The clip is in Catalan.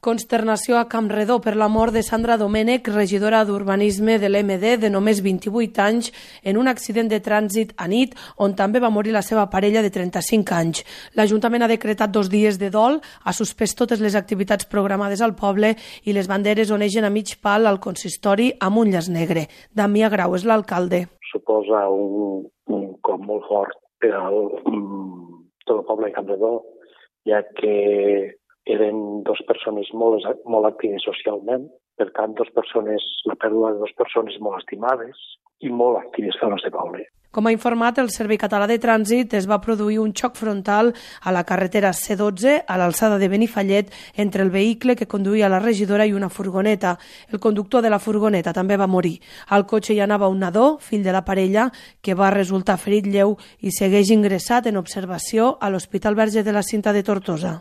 Consternació a Campredó per la mort de Sandra Domènech, regidora d'Urbanisme de l'MD de només 28 anys, en un accident de trànsit a nit, on també va morir la seva parella de 35 anys. L'Ajuntament ha decretat 2 dies de dol, ha suspès totes les activitats programades al poble i les banderes onegen a mig pal al consistori amb un llaç negre. Damià Grau és l'alcalde. Suposa un cop molt fort per tot el poble de Campredó, ja que eren 2 persones molt actives socialment, per tant, la pèrdua de 2 persones molt estimades i molt actives per al nostre poble. Com ha informat el Servei Català de Trànsit, es va produir un xoc frontal a la carretera C12 a l'alçada de Benifallet entre el vehicle que conduïa la regidora i una furgoneta. El conductor de la furgoneta també va morir. Al cotxe hi anava un nadó, fill de la parella, que va resultar ferit lleu i segueix ingressat en observació a l'Hospital Verge de la Cinta de Tortosa.